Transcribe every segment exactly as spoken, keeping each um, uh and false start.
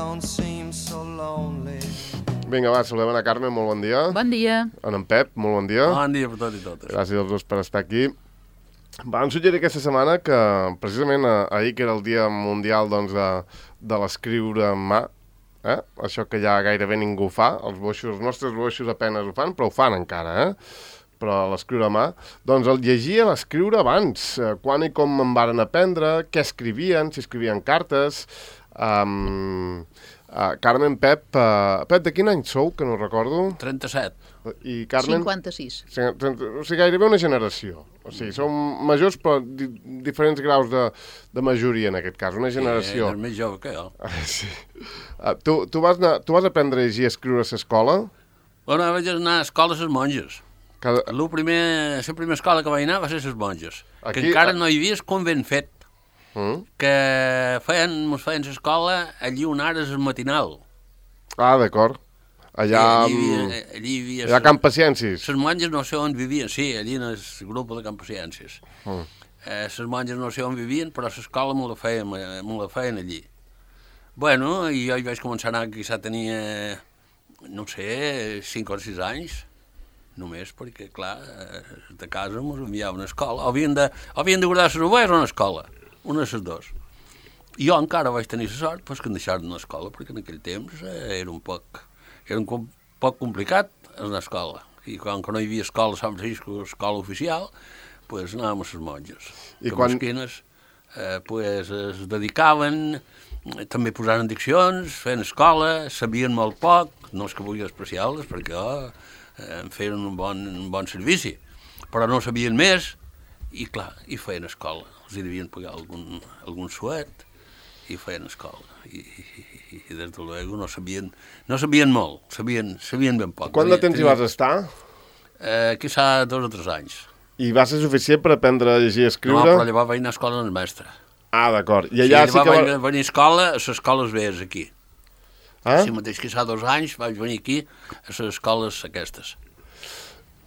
don't seem so lonely. Vinga, va, saludem a Carme, molt bon dia. Bon dia. En Pep, molt bon dia. Bon dia per tots i totes. Gràcies als dos per estar aquí. Vam suggerir aquesta setmana que, precisament ahir, que era el Dia Mundial doncs, de, de l'escriure en mà, eh? Això que ja gairebé ningú fa, els boixos, els nostres boixos apenes ho fan, però ho fan encara, eh? Però l'escriure a mà, doncs el llegia l'escriure abans, eh, quan i com en varen aprendre, què escrivien, si escrivien cartes. Um, uh, Carmen, Pep, uh, Pep, de quin any sou, que no recordo? trenta-set. I Carmen? cinquanta-sis. O sigui, gairebé una generació. O sigui, som majors, però di diferents graus de, de majoria, en aquest cas, una generació. Sí, és més jove que jo. Sí. Uh, tu, tu, vas anar, tu vas aprendre a llegir i escriure a l'escola? Bueno, vaig anar a escola a les monges. Cada... La primer, la primera escola que vaig anar va ser a les monges, Aquí, que encara a... no hi havia el convent fet, Mm? que feien, mos feien l'escola allí on ara és el matinal. Ah, d'acord. Allà... Sí, allí hi havia, allí hi havia allà a Camp Paciències. Les monges no sé on vivien, sí, allí en el grup de Camp Paciències. Mm. Eh, les monges no sé on vivien, però l'escola me la feien, me la feien allí. Bueno, i jo hi vaig començar a anar, quizà tenia, no sé, cinc o sis anys, només perquè, clar, de casa ens enviaven a escola. Havien de, havien de guardar les ovelles o a l'escola, una de les dues. Jo encara vaig tenir la sort pues, que em deixaren a l'escola, perquè en aquell temps eh, era un poc, era un com, poc complicat anar a escola. I quan no hi havia escola a Sant Francisco, escola oficial, pues, anàvem a les monges. I que quan... mesquines eh, pues, es dedicaven, també posaren diccions, feien escola, sabien molt poc, no és que vulgui despreciar-les, perquè oh, em feien un bon, un bon servici, però no sabien més, i clar, i feien escola. Els hi devien pagar algun, algun suet, i feien escola. I, i, i des de luego no sabien, no sabien molt, sabien, sabien ben poc. Quant de temps hi vas estar? Eh, quizà dos o tres anys. I va ser suficient per aprendre a llegir i escriure? No, però llavors vaig anar a escola amb el mestre. Ah, d'acord. I allà sí, sí que... va... vaig venir a escola, a les escoles vees aquí. Ah? Sí, mateix que fa dos anys vaig venir aquí a les escoles aquestes.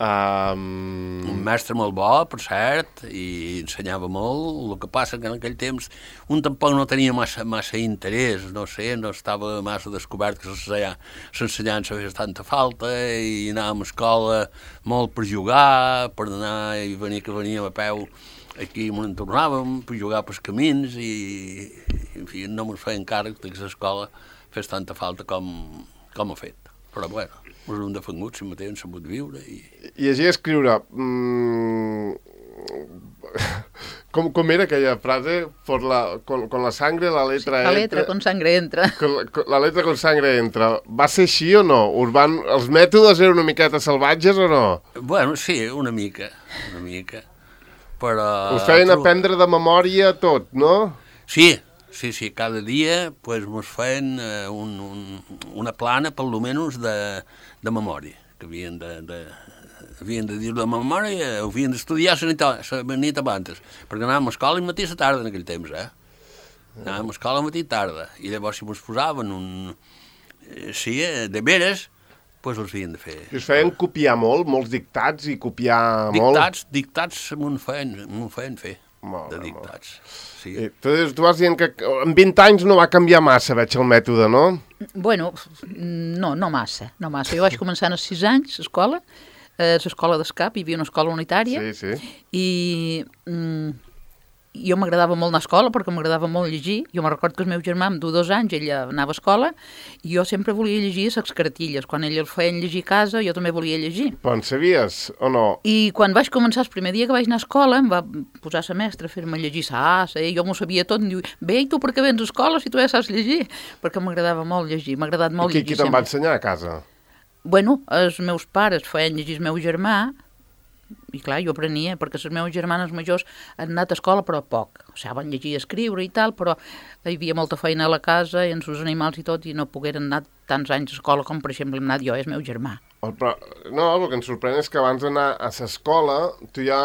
Um... Un mestre molt bo, per cert, i ensenyava molt. El que passa que en aquell temps un tampoc no tenia massa, massa interès, no sé, no estava massa descobert que l'ensenyança fes tanta falta i anàvem a escola molt per jugar, per anar i venir que veníem a peu aquí on en tornàvem, per jugar pels camins i, en fi, no ens feien càrrec que l'escola fes tanta falta com, com ha fet. Però, bueno, ens hem defengut, si mateix hem sabut viure. I llegir i escriure... Mm... Com, com era aquella frase? Por la, con, con la sangre la letra sí, la entra... letra con sangre entra. Con la, con la letra con sangre entra. Va ser així o no? Urban... Els mètodes eren una miqueta salvatges o no? Bueno, sí, una mica, una mica. Però... Us feien aprendre de memòria tot, no? Sí, sí, sí, cada dia pues, ens feien uh, un, un, una plana, per lo menys, de, de memòria, que havien de, de, havien de dir la memòria, havien d'estudiar la nit, la nit abans, perquè anàvem a escola i matí a la tarda en aquell temps, eh? Anàvem a escola matí i tarda, i llavors si ens posaven un... Sí, de veres, doncs els havien de fer. I us feien copiar molt, molts dictats i copiar dictats, molt? Dictats, dictats m'ho feien, m'ho feien fer, molt, de dictats. Sí. I tu, tu vas dient que en vint anys no va canviar massa, veig el mètode, no? Bueno, no, no massa, no massa. Jo vaig començar als sis anys, a escola, a l'escola d'escap, hi havia una escola unitària, sí, sí. i mm, jo m'agradava molt anar a escola perquè m'agradava molt llegir. Jo me recordo que el meu germà, amb dos anys, ella anava a escola, i jo sempre volia llegir les cartilles. Quan ell el feien llegir a casa, jo també volia llegir. Però en sabies o no? I quan vaig començar, el primer dia que vaig anar a escola, em va posar la mestra a fer-me llegir la A, i jo m'ho sabia tot, em diu, bé, i tu per què vens a escola si tu ja saps llegir? Perquè m'agradava molt llegir, m'ha agradat molt I qui, llegir. qui te'n va ensenyar a casa? Bueno, els meus pares feien llegir el meu germà, i clar, jo aprenia, perquè les meves germanes majors han anat a escola, però poc. O sigui, van llegir i escriure i tal, però hi havia molta feina a la casa, i amb els animals i tot, i no pogueren anar tants anys a escola com, per exemple, hem anat jo, és meu germà. Però, no, el que em sorprèn és que abans d'anar a l'escola, tu ja,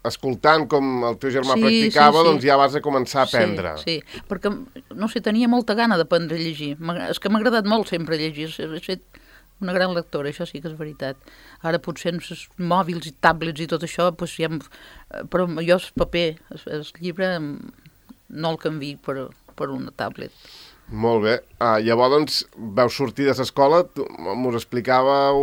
escoltant com el teu germà sí, practicava, sí, sí. doncs ja vas a començar a aprendre. Sí, sí, perquè, no sé, tenia molta gana d'aprendre a llegir. És que m'ha agradat molt sempre llegir, he fet una gran lectora, això sí que és veritat. Ara potser amb els mòbils i tablets i tot això, doncs ja... Però jo el paper, el, el llibre, no el canvi per, per una tablet. Molt bé. Ah, llavors, doncs, vau sortir de l'escola, mos explicàveu,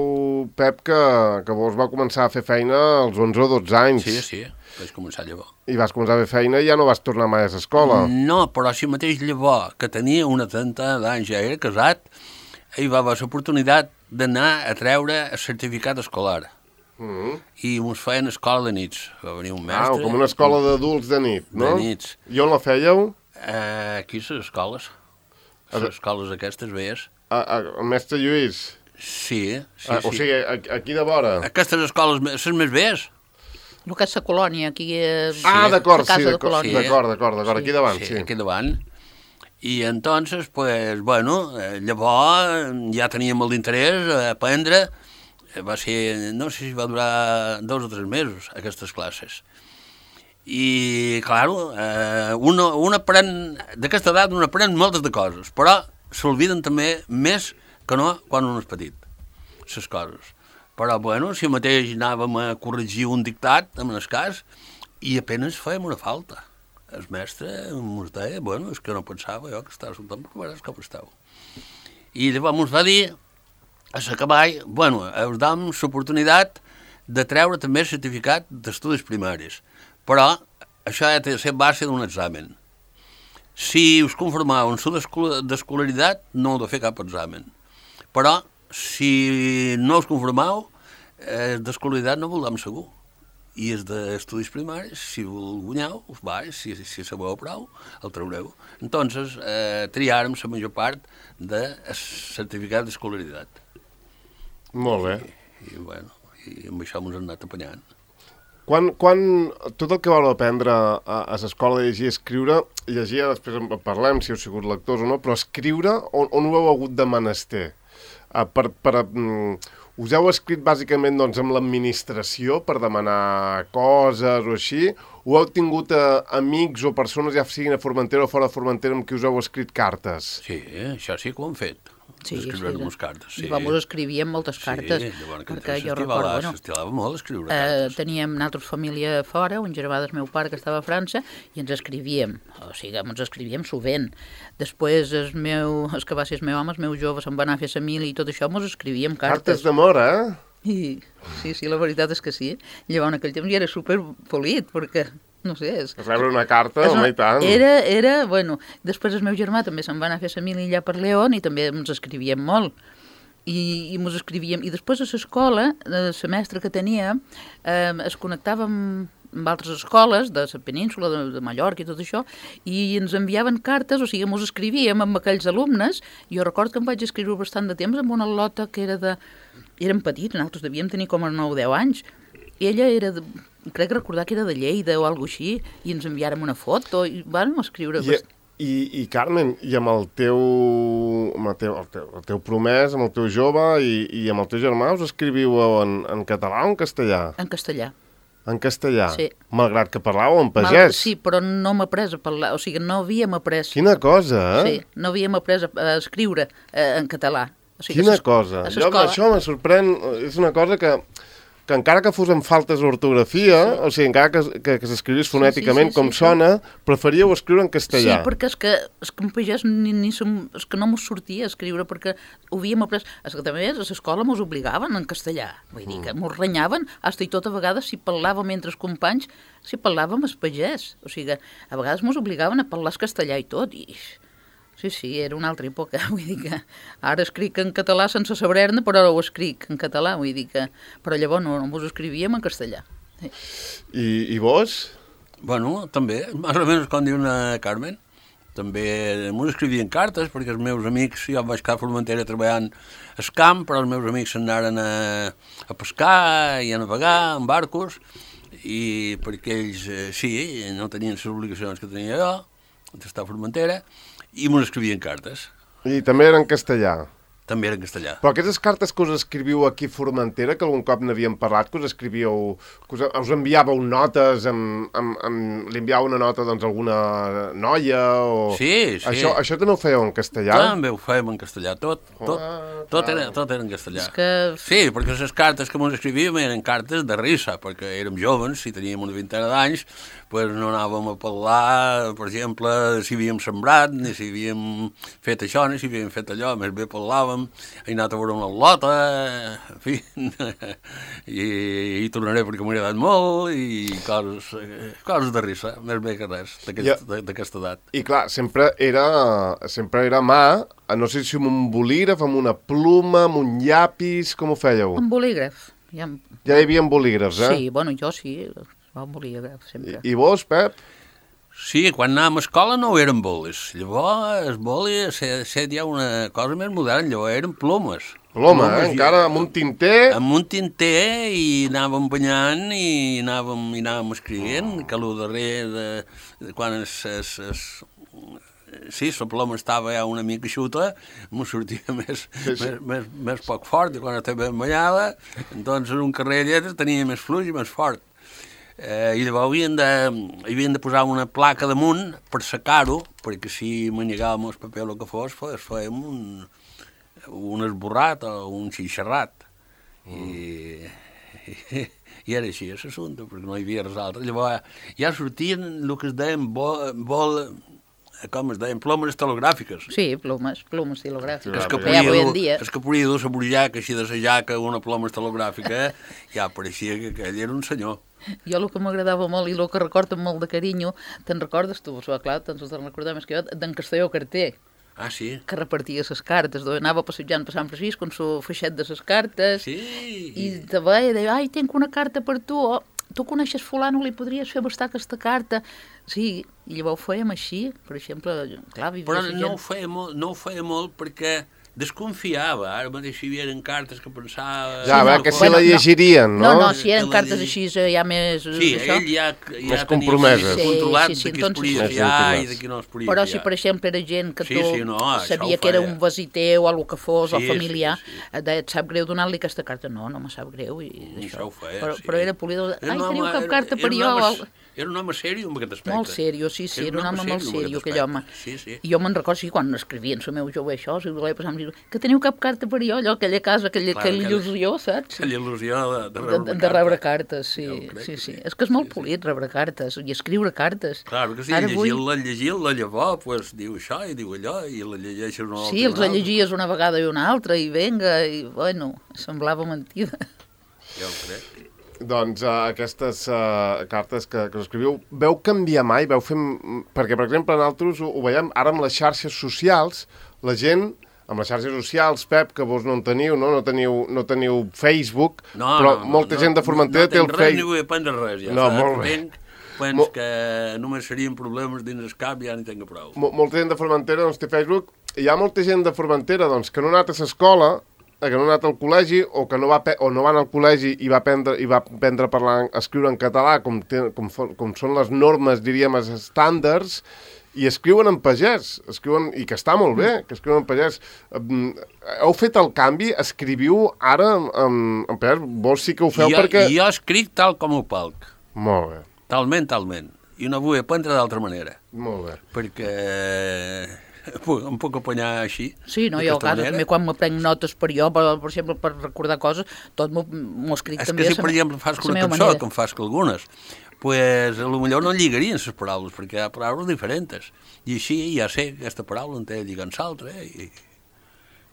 Pep, que, que vos va començar a fer feina als onze o dotze anys. Sí, sí, vaig començar llavors. I vas començar a fer feina i ja no vas tornar mai a l'escola. No, però si mateix llavors, que tenia una trenta d'anys, ja era casat, hi va haver l'oportunitat d'anar a treure el certificat escolar. Mm. I mos feien escola de nits. Va venir un mestre... Ah, com una escola d'adults de nit, no? De nits. I on la fèieu? Eh, aquí les escoles. Les escoles aquestes veies. A, a, a Mestre Lluís? Sí, sí, Ah, sí. o sigui, aquí de vora? Aquestes escoles, les més veies? El que és la colònia, aquí és Ah, d'acord, la casa sí, de d'acord, colònia. d'acord, d'acord, d'acord, aquí davant, Sí, sí. aquí davant. I entonces, pues, bueno, eh, llavors ja teníem molt d'interès a aprendre. Va ser, no sé si va durar dos o tres mesos, aquestes classes. I, claro, eh, un, un aprèn, d'aquesta edat un aprèn moltes de coses, però s'olviden també més que no quan un és petit, les coses. Però, bueno, si mateix anàvem a corregir un dictat, en el cas, i apenas fèiem una falta. El mestre ens deia, bueno, és que no pensava jo que estava soltant, però veuràs com esteu. I llavors ens va dir, a l'acabar, bueno, us dam l'oportunitat de treure també el certificat d'estudis primaris. Però això ha de ser base d'un examen. Si us conformau en la d'escolaritat, no heu de fer cap examen. Però, si no us conformau, eh, d'escolaritat no voldrem segur. I és d'estudis primaris, si el guanyeu, us va, si, si sabeu prou, el traureu. Entonces, eh, triàrem la major part del certificat d'escolaritat. Molt bé. I, i, bueno, i amb això ens hem anat apanyant. Quan, quan tot el que vau aprendre a, a l'escola de llegir i escriure, llegir, després en parlem si heu sigut lectors o no, però escriure, on, on ho heu hagut de menester? Uh, per, per, um, us heu escrit bàsicament doncs, amb l'administració per demanar coses o així? O heu tingut uh, amics o persones, ja siguin a Formentera o fora de Formentera, amb qui us heu escrit cartes? Sí, això sí que ho hem fet. Sí, escriure sí, unes cartes, sí. I vam escrivíem moltes cartes, sí, llavors, perquè jo recordo, bueno, s'estilava molt escriure eh, cartes. teníem nosaltres família fora, un germà del meu pare que estava a França, i ens escrivíem, o sigui, ens escrivíem sovint. Després, el, meu, el que va ser el meu home, el meu jove, se'n va anar a fer la mili i tot això, ens escrivíem cartes. Cartes d'amor, eh? I, sí, sí, la veritat és que sí. Llavors, en aquell temps ja era superpolit, perquè, no sé... És, Rebre una carta, és home, una, i tant. era, era, bueno, després el meu germà també se'n va anar a fer la mili allà per León i també ens escrivíem molt. I, i ens escrivíem. I després a l'escola, el semestre que tenia, eh, es connectava amb, amb altres escoles de la península, de, de Mallorca i tot això, i ens enviaven cartes, o sigui, ens escrivíem amb aquells alumnes. Jo recordo que em vaig escriure bastant de temps amb una lota que era de... Érem petits, nosaltres devíem tenir com a nou o deu anys, i ella era, de, crec recordar que era de Lleida o alguna així, i ens enviàrem una foto, i vam escriure... I, i, i Carmen, i amb el teu, amb el teu, el teu, el teu promès, amb el teu jove i, i amb el teu germà, us escriviu en, en català o en castellà? En castellà. En castellà? Sí. Malgrat que parlàveu en pagès? Mal, sí, però no m'ha après a parlar, o sigui, no havíem après... Quina cosa, eh? Sí, no havíem après a, a escriure eh, en català. O sigui, Quina a cosa. a Jo, això me sorprèn, és una cosa que, que encara que fos amb faltes d'ortografia, sí. O sigui, encara que, que, que s'escrivís fonèticament sí, sí, sí, com sí, sona, sí. Preferíeu escriure en castellà. Sí, perquè és que, és que en pagès ni, ni som, és que no mos sortia a escriure, perquè ho havíem après... És que també a l'escola mos obligaven en castellà. Vull dir que mos renyaven, fins i tot a vegades si parlàvem entre els companys, si parlàvem el pagès. O sigui, a vegades mos obligaven a parlar el castellà i tot, i... Sí, sí, era una altra època, vull dir que ara escric en català sense saber-ne, però ho escric en català, vull dir que... Però llavors no, no ho escrivíem en castellà. Sí. I, I vos? Bueno, també, més o menys com diu una Carmen, també m'ho escrivien cartes, perquè els meus amics, jo vaig quedar a Formentera treballant al camp, però els meus amics s'anaren a, a pescar i a navegar en barcos, i perquè ells, eh, sí, no tenien les obligacions que tenia jo, d'estar a Formentera, i m'ho escrivien cartes. I també era en castellà? També era en castellà. Però aquestes cartes que us escriviu aquí a Formentera, que algun cop n'havíem parlat, que us escrivíeu, que us, us enviàveu notes, amb, amb, amb, li enviàveu una nota doncs, a alguna noia, o... Sí, sí. Això, això també ho fèieu en castellà? També ho fèiem en castellà, tot, tot, ah, tot, era, tot era en castellà. És que... Sí, perquè les cartes que ens escrivíem eren cartes de risa, perquè érem joves i teníem una vintena d'anys, pues no anàvem a parlar, per exemple, si havíem sembrat, ni si havíem fet això, ni si havíem fet allò, més bé parlàvem, he anat a veure una lota, en fi, i, i tornaré perquè m'ha agradat molt, i coses, coses de risa, més bé que res, d'aquesta edat. I clar, sempre era, sempre era mà, no sé si amb un bolígraf, amb una pluma, amb un llapis, com ho fèieu? Amb bolígraf. Ja, ja hi havia bolígrafs, eh? Sí, bueno, jo sí, amb bolígraf, sempre. I, i vos, Pep? Sí, quan anàvem a escola no eren bolis. Llavors, els bolis, ha estat ja una cosa més moderna, llavors eren plomes. Ploma, eh? Encara amb un tinter... Amb un tinter, i anàvem banyant, i anàvem, i anàvem escrivint, oh. que el darrer, de, de quan es... es, es sí, la ploma estava ja una mica xuta, m'ho sortia més, sí, sí. Més, més, més poc fort, i quan estava ben banyada, doncs en un carrer de lletres tenia més fluix i més fort. Eh, I llavors havien de, havien de posar una placa damunt per secar-ho, perquè si manegàvem el paper o el que fos, fos fèiem un, un esborrat o un xixarrat. Mm. I, i, i era així, l'assumpte, perquè no hi havia res altre. Llavors ja sortien el que es deien vol... vol com es deien, plomes estilogràfiques. Sí, plomes, plomes estilogràfiques. És que podia dur, és que podia dur la burjaca així de la jaca, una ploma estilogràfica, ja pareixia que aquell era un senyor. Jo el que m'agradava molt i el que recordo amb molt de carinyo, te'n recordes tu, clar, te'n recordar més que jo, d'en Castelló Carter. Ah, sí? Que repartia les cartes, anava passejant per Sant Francisco amb el feixet de les cartes. Sí. I te veia, deia, ai, tinc una carta per tu, oh, tu coneixes fulano, li podries fer bastar aquesta carta. Sí, i llavors ho fèiem així, per exemple, clar, vivia però la gent... no ho feia molt, no ho feia molt perquè desconfiava, ara mateix hi havia cartes que pensava... Ja, va, que se la llegirien, no? No, no, si eren cartes així ja més... Sí, ell ja, ja més compromeses. tenia controlat de qui es podia fiar i de qui no es podia fiar. Però si, per exemple, era gent que tu sí, sí, no, sabia que era un visiter o el que fos, sí, o familiar, sí, sí, sí. et sap greu donar-li aquesta carta. No, no me sap greu. I això ho feia, però, sí. però era polido... Ai, home, teniu cap era, carta per era jo? Home, era un home sèrio en aquest aspecte. Molt sèrio, sí, sí, era un home molt sèrio, aquell home. Sí, sí. I jo me'n recordo, sí, quan escrivien el meu jove això, si volia passar, que teniu cap carta per jo, allò, aquella casa, aquella, Clar, aquella il·lusió, saps? Aquella il·lusió de, de rebre de, carta. de rebre cartes, sí, crec, sí, sí. sí. És que és molt polit rebre cartes i escriure cartes. Clar, que si llegir-la, llegir-la, llavors, pues, diu això i diu allò, i la llegeixes una altra. Sí, els la llegies una vegada i una altra, i venga, i bueno, semblava mentida. Ja ho crec. Doncs uh, aquestes uh, cartes que, que us escriviu, veu canviar mai? Veu fer... Perquè, per exemple, nosaltres ho, ho veiem ara amb les xarxes socials, la gent, amb les xarxes socials, Pep, que vos no en teniu, no, no, teniu, no teniu Facebook, no, però no, molta no, gent de Formentera no té el Facebook. No tinc res Facebook. ni vull aprendre res, ja. No, saps? molt bé. Tenc, pens Mol... que només serien problemes dins el cap, ja n'hi tinc prou. Mol molta gent de Formentera doncs, té Facebook. Hi ha molta gent de Formentera doncs, que no ha anat a l'escola, que no ha anat al col·legi o que no va, o no va anar al col·legi i va aprendre, i va aprendre a parlar, a escriure en català, com, te, com, com són les normes, diríem, els estàndards, i escriuen en pagès, escriuen, i que està molt bé, que escriuen en pagès. Heu fet el canvi? Escriviu ara en, en pagès? Vos sí que ho feu jo, perquè... Jo escric tal com ho palc. Molt bé. Talment, talment. I no vull aprendre d'altra manera. Molt bé. Perquè... em puc apanyar així. Sí, no, jo a casa també quan m'aprenc notes per jo, per, per exemple, per recordar coses, tot m'ho escric també. És que si, per exemple, fas una cançó, com fas que algunes, pues, potser no lligarien les paraules, perquè hi ha paraules diferents. I així ja sé que aquesta paraula en té lligant l'altra, eh? I,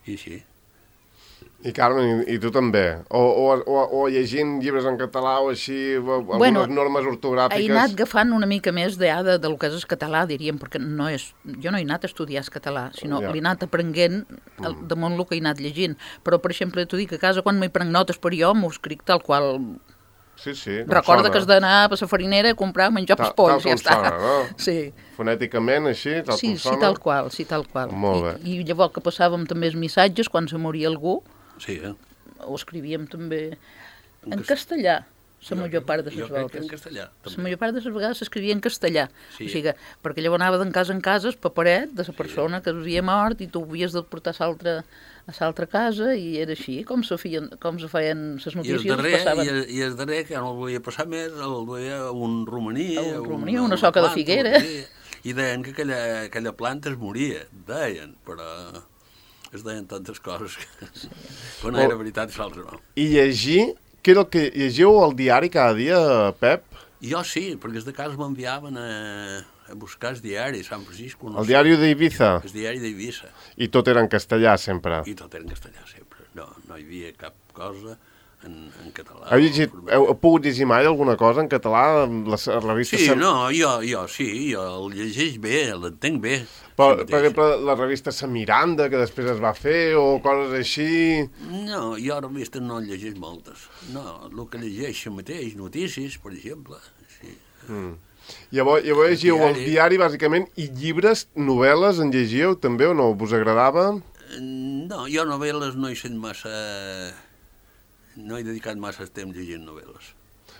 i així. I Carmen, i, i tu també? O, o, o, o llegint llibres en català o així, o, bueno, algunes normes ortogràfiques? He anat agafant una mica més de, de, del que és el català, diríem, perquè no és, jo no he anat a estudiar el català, sinó ja. L'he anat aprenent el, damunt el que he anat llegint. Però, per exemple, t'ho dic, a casa, quan m'hi prenc notes per jo, m'ho escric tal qual... Sí, sí, recorda que has d'anar a la farinera a comprar menjar pels polls, ja està. Sona, no? Sí. Fonèticament, així, tal sí, com sona? Sí, tal qual, sí, tal qual. Molt bé. I, I llavors que passàvem també els missatges, quan se moria algú, sí, eh? ho escrivíem també en castellà, la major part de les voltes. Jo crec que en castellà, també. La major part de les vegades s'escrivia en castellà. Sí. O sigui, perquè llavors anava d'en casa en casa el paperet de la persona sí. que havia mort i tu havies de portar a l'altra a l'altra casa i era així, com se feien, com se feien les notícies. I el darrer, passaven... i el, i el darrer que no el volia passar més, el duia a un romaní. A un romaní, una, una soca una planta, de figuera. I deien que aquella, aquella planta es moria, deien, però... es deien tantes coses que sí. Però no era veritat i l'altre no. I llegir, què era el que llegiu al diari cada dia, Pep? Jo sí, perquè des de casa m'enviaven a, a buscar el diari de Sant Francisco. No El sé. diari d'Ibiza? El diari d'Eivissa. I tot era en castellà, sempre? I tot era en castellà, sempre. No, no hi havia cap cosa en, en català. Heu, llegit, heu, heu pogut llegir mai alguna cosa en català? Les revistes... Sí, sem- no, jo, jo sí, jo el llegeix bé, l'entenc bé. Però, sí per exemple, la revista Sa Miranda, que després es va fer, o coses així... No, jo revistes no en llegeix moltes. No, el que llegeixo mateix, notícies, per exemple. Sí. Mm. Llavors, llavors llegiu el diari. diari, bàsicament, i llibres, novel·les, en llegíeu també o no? Us agradava? No, jo novel·les no he sent massa... No he dedicat massa temps llegint novel·les.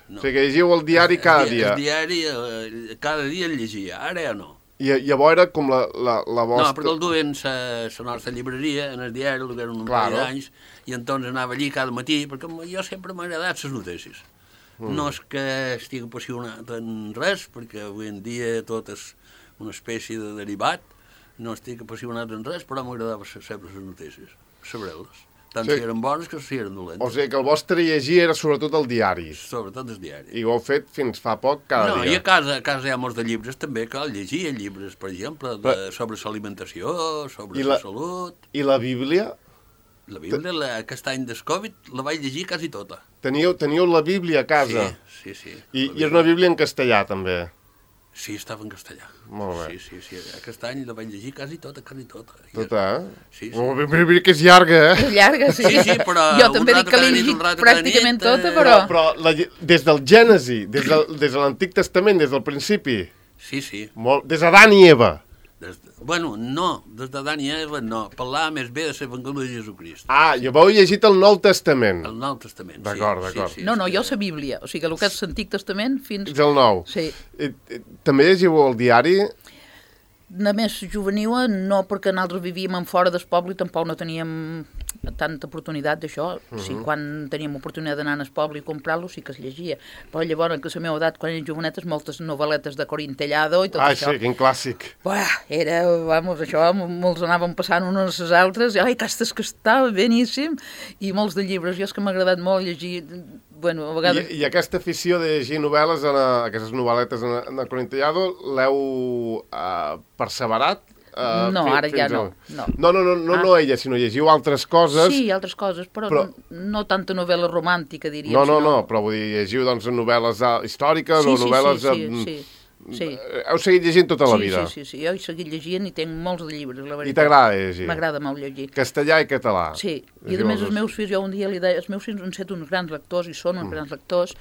No. O sigui que llegiu el diari cada el, dia. El diari, eh, cada dia el llegia, ara ja no. I llavors era com la, la, la No, vostra... perquè el duien a la nostra llibreria, en el diari, el que eren un Claro. parell d'anys, i entonces anava allí cada matí, perquè jo sempre m'ha agradat les notícies. Mm. No és que estigui apassionat en res, perquè avui en dia tot és una espècie de derivat, no estic apassionat en res, però m'agradava sempre les notícies, saber-les. Tant Sí. si eren bones que si eren dolentes. O sigui que el vostre llegir era sobretot el diari. Sobretot el diari. I ho heu fet fins fa poc cada no, dia. i a casa, a casa hi ha molts de llibres també que llegia, llibres, per exemple, de, Però- sobre l'alimentació, sobre I la... la- la salut. I la Bíblia? La Bíblia, la, aquest any del Covid, la vaig llegir quasi tota. Teníeu, teníeu la Bíblia a casa? Sí, sí, sí. I, La I és una Bíblia en castellà, també? Sí, estava en castellà. Molt bé. Sí, sí, sí. Aquest any la vaig llegir quasi tota, quasi tota. Tota, eh? Sí, sí. Oh, mira, mira que és llarga, eh? És llarga, sí. Sí, sí, però Jo un també dic rato que cada l'he nit, un llegit rato cada pràcticament nit, tota, eh, però... Però, però la, lle- des del Gènesi, des, del, des de l'Antic Testament, des del principi, Sí, sí. molt, des d'Adam i Eva. Des de... Bueno, no, des de Dan i Eva no. Parlar més bé de l'Evangeli de Jesucrist. Ah, jo heu llegit el Nou Testament. El Nou Testament, sí. D'acord, d'acord. Sí, sí, No, no, és jo que- la Bíblia, o sigui, el que és l'Antic Testament fins... És el Nou. Sí. I, i, també llegiu el diari? Només juvenil, no, perquè nosaltres vivíem en fora del poble i tampoc no teníem tanta oportunitat d'això. Uh -huh. Sí, quan teníem oportunitat d'anar al poble i comprar-lo sí que es llegia. Però llavors, que a la meva edat, quan eren jovenetes, moltes novel·letes de Corintellado i tot Ah, això. sí, quin clàssic. Buah, era, vamos, això, molts anaven passant unes a les altres, i, ai, aquestes que estava beníssim, i molts de llibres. Jo és que m'ha agradat molt llegir, bueno, a vegades... I, I aquesta afició de llegir novel·les, en, a, aquestes novel·letes en, en Corintellado, l'heu uh, perseverat? Uh, No, ara ja no, a... no. No, no, no, no, Ah. no ella, sinó llegiu altres coses. Sí, altres coses, però, però- però... no tanta novel·la romàntica, diríem. No, no, sinó... no, però vull dir, llegiu doncs novel·les uh, històriques Sí, o sí, novel·les... sí, uh, sí, sí, sí. Heu seguit llegint tota la sí, vida? Sí, sí, sí, jo he seguit llegint i tinc molts de llibres, la veritat. I t'agrada llegir? M'agrada molt llegir. Castellà i català? Sí, i a Llegiu més els els dos. meus fills, jo un dia li deia, els meus fills han set uns grans lectors i són uns Mm. grans lectors,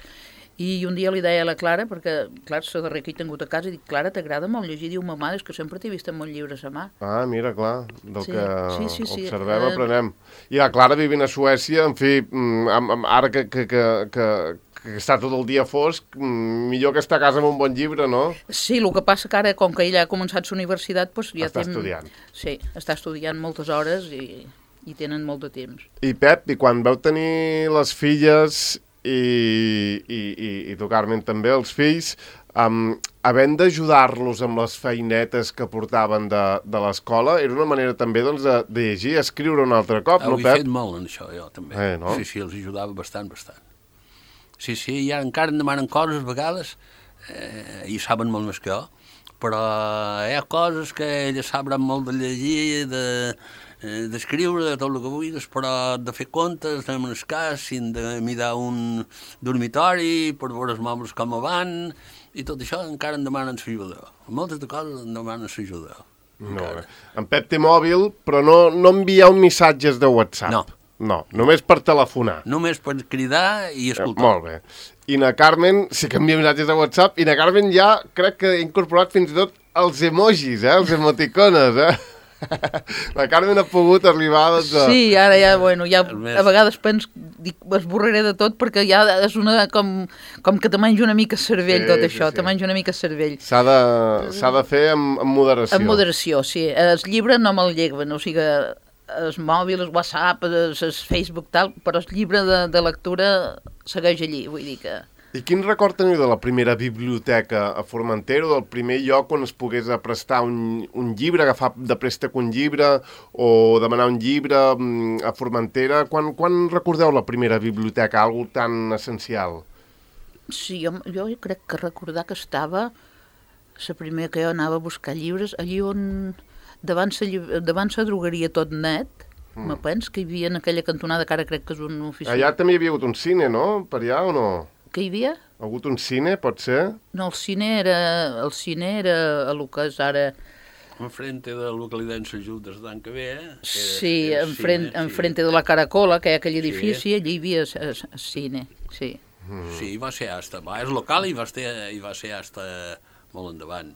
i un dia li deia a la Clara, perquè, clar, és la darrera que he tingut a casa, i dic, Clara, t'agrada molt llegir? Diu, mamà, és que sempre t'he vist amb molts llibres a mà. Ah, mira, clar, del Sí, que sí, sí, sí. observem, Eh, aprenem. I la Clara vivint a Suècia, en fi, mm, amb, amb, ara que, que, que, que, que està tot el dia fosc, mm, millor que estar a casa amb un bon llibre, no? Sí, el que passa que ara, com que ella ha començat la universitat, doncs ja Està té... estudiant. Sí, està estudiant moltes hores i, i tenen molt de temps. I Pep, i quan veu tenir les filles i, i, i, i tu, Carmen, també, els fills, um, havent d'ajudar-los amb les feinetes que portaven de, de l'escola, era una manera també doncs, de, de llegir, escriure un altre cop, Ho no, he Pep? fet molt en això, jo, també. Eh, no? Sí, sí, els ajudava bastant, bastant. Sí, sí, i ara encara em demanen coses a vegades, eh, i saben molt més que jo, però hi ha coses que elles saben molt de llegir, de, eh, d'escriure, de tot el que vulguis, però de fer comptes, de el cas, sin de mirar un dormitori, per veure els mobles com van, i tot això encara em demanen l'ajuda. Moltes de coses em demanen l'ajuda. Molt bé. En Pep té mòbil, però no, no envieu missatges de WhatsApp. No. No, només per telefonar. Només per cridar i Eh, escoltar. molt bé. I na Carmen sí que envia missatges de WhatsApp, i na Carmen ja crec que ha incorporat fins i tot els emojis, eh? Els emoticones, eh? La Carmen ha pogut arribar, doncs, a... Sí, ara ja, bueno, ja El més- a vegades penso, dic, esborraré de tot perquè ja és una, com, com que te menja una mica el cervell Sí, tot sí, això, sí. te menja una mica el cervell. S'ha de, s'ha de fer amb, amb moderació. En moderació, sí. El llibre no me'l lleguen, o sigui, el mòbil, el WhatsApp, el, el Facebook, tal, però el llibre de, de lectura segueix allí, vull dir que... I quin record teniu de la primera biblioteca a Formentera, del primer lloc on es pogués prestar un, un llibre, agafar de préstec un llibre o demanar un llibre mm, a Formentera? Quan, quan recordeu la primera biblioteca, algo tan essencial? Sí, jo, jo crec que recordar que estava la primera que jo anava a buscar llibres, allí on, davant la, llib- davant la drogueria Tot Net, mm. me pens que hi havia en aquella cantonada, que ara crec que és una oficina. Allà també hi havia hagut un cine, no? Per allà o no? Que hi havia? Ha hagut un cine, pot ser? No, el cine era, el cine era a lo que és ara... Enfrente de la localitat en Sant Just d'any que ve, eh? Era, Sí, era enfrente, cine, enfrente de la Caracola, que hi ha aquell Sí. edifici, allí hi havia el cine, sí. Mm. Sí, va ser hasta... Va, és local i va ser, i va ser hasta molt endavant.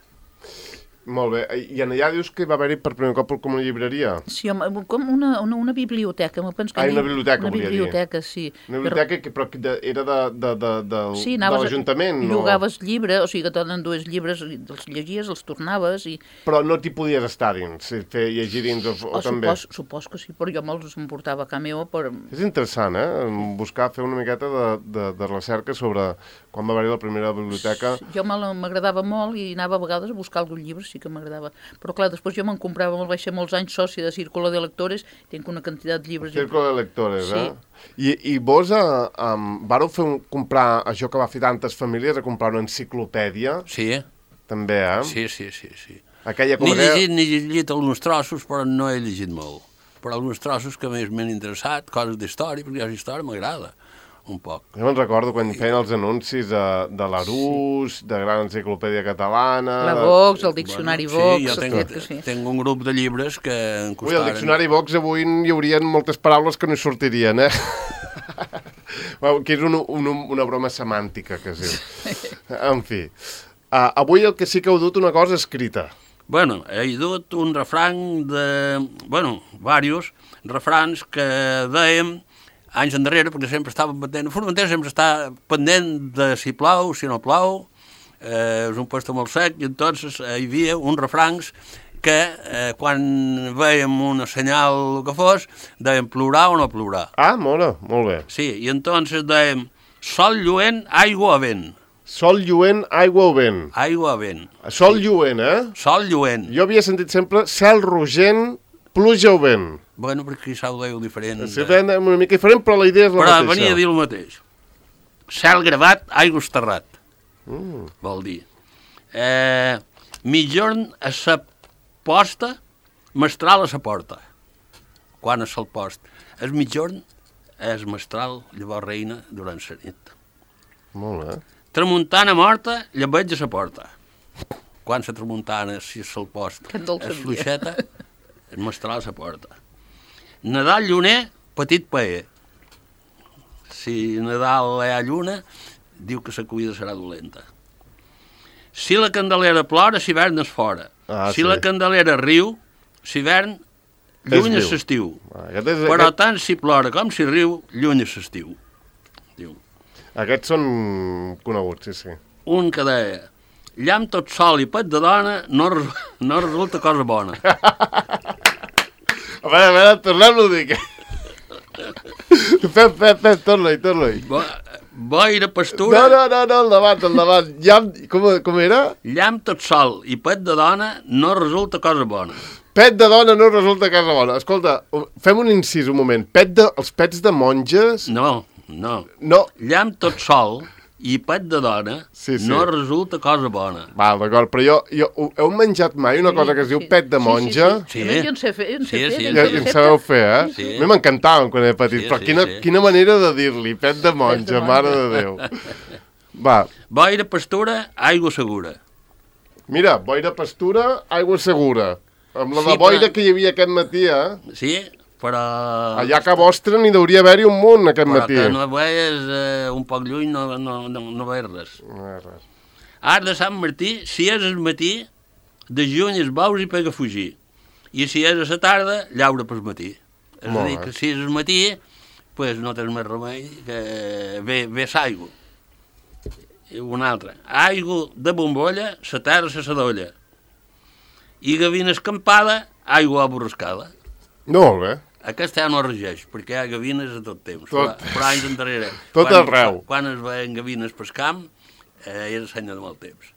Molt bé. I en allà dius que va haver-hi per primer cop com una llibreria? Sí, home, com una, una, una biblioteca. Me penso que Ah, allí- una biblioteca, Una volia dir. biblioteca, sí. Una biblioteca que però que de, era de, de, de, de, Sí, de anaves a- l'Ajuntament, no? Llogaves llibres, o sigui que te dues llibres, i els llegies, els tornaves i... Però no t'hi podies estar dins, si fer llegir dins o, o, O també. supos, supos que sí, però jo me'ls emportava a casa meva per... És interessant, eh? Buscar, fer una miqueta de, de, de recerca sobre quan va haver-hi la primera biblioteca. Jo me la- m'agradava molt i anava a vegades a buscar algun llibre, sí que m'agradava. Però clar, després jo me'n comprava, me'l vaig ser molts anys soci de Círculo de Lectores, tinc una quantitat de llibres... Círculo de lectores, Sí. eh? I, i vos eh, um, vareu fer un, comprar això que va fer tantes famílies, a comprar una enciclopèdia, Sí, eh? també, eh? Sí, sí, sí, sí. Aquella com N'he deia- llegit, n'he llegit alguns trossos, però no he llegit molt. Però alguns trossos que més m'han interessat, coses d'història, perquè la història m'agrada un poc. Jo me'n recordo quan feien els anuncis de, de l'Arús, de Gran Enciclopèdia Catalana... La de- Vox, el Diccionari sí, Vox... jo els tenc, que sí. tenc un grup de llibres que em Ui, costaren... el Diccionari Vox avui hi haurien moltes paraules que no hi sortirien, eh? Bueno, que és una, una, una broma semàntica, que es diu. En fi. Uh, avui el que sí que heu dut una cosa escrita. Bueno, he dut un refrany de... Bueno, diversos refrans que dèiem anys endarrere, perquè sempre estava pendent... Formentera sempre està pendent de si plou, si no plou, eh, és un puesto molt sec, i entonces eh, hi havia uns refranys que eh, quan veiem una senyal que fos, dèiem plorar o no plorar. Ah, mola, molt bé. Sí, i entonces dèiem sol lluent, aigua a vent. Sol lluent, aigua o vent. Aigua a vent. Sol lluent, eh? Sol lluent. Jo havia sentit sempre cel rogent, pluja o vent. Bueno, perquè quizà ho dèieu diferent. Sí, ben, una mica diferent, però la idea és la Però mateixa. venia a dir el mateix. Cel gravat, aigua esterrat. Mm. Vol dir. Eh, mitjorn a sa posta, mestral a sa porta. Quan és el post? El mitjorn és mestral, llavors reina durant la nit. Molt bé. Tramuntana morta, llebeig a sa porta. Quan la tramuntana, si és el post, Que en dolça és dia. fluixeta, és mestral a sa porta. Nadal lluner, petit paer. Si Nadal hi ha lluna, diu que la cuida serà dolenta. Si la Candelera plora, s'hivern és fora. Ah, si sí. la Candelera riu, s'hivern lluny és viu. l'estiu. Ah, Aquest és, Però aquest, tant si plora com si riu, lluny és l'estiu. Diu. aquests són coneguts, sí, sí. Un que deia, llamp tot sol i pet de dona no, res- no resulta cosa bona. A veure, a veure, tornem-lo a dir. Que... Pep, Pep, Pep, torna-hi, torna-hi. Bo, boira, No, pastura, no, no, no, el davant, el davant. Ja, com, com era? llamp tot sol i pet de dona no resulta cosa bona. Pet de dona no resulta casa bona. Escolta, fem un incís un moment. Pet de, els pets de monges... No, no. No. Llamp tot sol i pet de dona Sí, sí. no resulta cosa bona. Val, d'acord, però jo, jo... Heu menjat mai una cosa que es diu pet de monja? Sí. Sí, sí, sí. Jo en sé fer, jo en sé Sí, fer. sí, jo Ja, en sé ja en fer. sabeu fer, eh? Sí. A mi m'encantaven quan era petit, Sí, però sí, quina, sí. quina manera de dir-li, pet de monja, monja. mare de Déu. Va, Boira, pastura, aigua segura. mira, boira pastura, aigua segura. Amb la Sí, de boira però- que hi havia aquest matí, eh? Sí, però... Allà a ca vostra n'hi hauria haver-hi un munt aquest Però matí. que no veies eh, un poc lluny, no, no, no, no veies res. No és res. Arc de Sant Martí, si és el matí, de juny es veus i pega a fugir. I si és a la tarda, llaura pel matí. És a Molt dir, bé. que si és el matí, pues no tens més remei que ve, ve l'aigua. I una altra. Aigua de bombolla, la terra se s'adolla. I gavina escampada, aigua aborrascada. Molt bé. Aquesta ja no es regeix, perquè hi ha gavines a tot temps, Tot. però, però anys endarrere. Tot quan, arreu. Quan es veien gavines pel camp, eh, era senya de mal temps.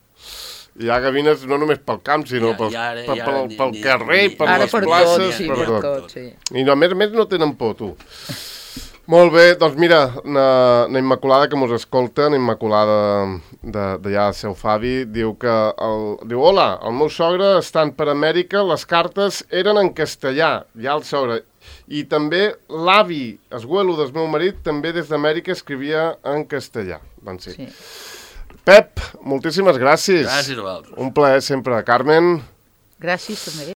Hi ha gavines no només pel camp, sinó Ja- pel, ja ara- pel, ja pel, ara ni- pel ni- carrer, ni- per Ara les per places, tot, sí, per per tot. tot, sí. I no, a més a més no tenen por, tu. Molt bé, doncs mira, na, na Immaculada que mos escolta, na Immaculada d'allà de, de seu Favi, diu que, el, diu, hola, el meu sogre estant per Amèrica, les cartes eren en castellà, ja el sogre, i també l'avi, esguelo del meu marit, també des d'Amèrica escrivia en castellà. Doncs sí. sí. Pep, moltíssimes gràcies. Gràcies a vosaltres. Un plaer sempre. Carmen. Gràcies també.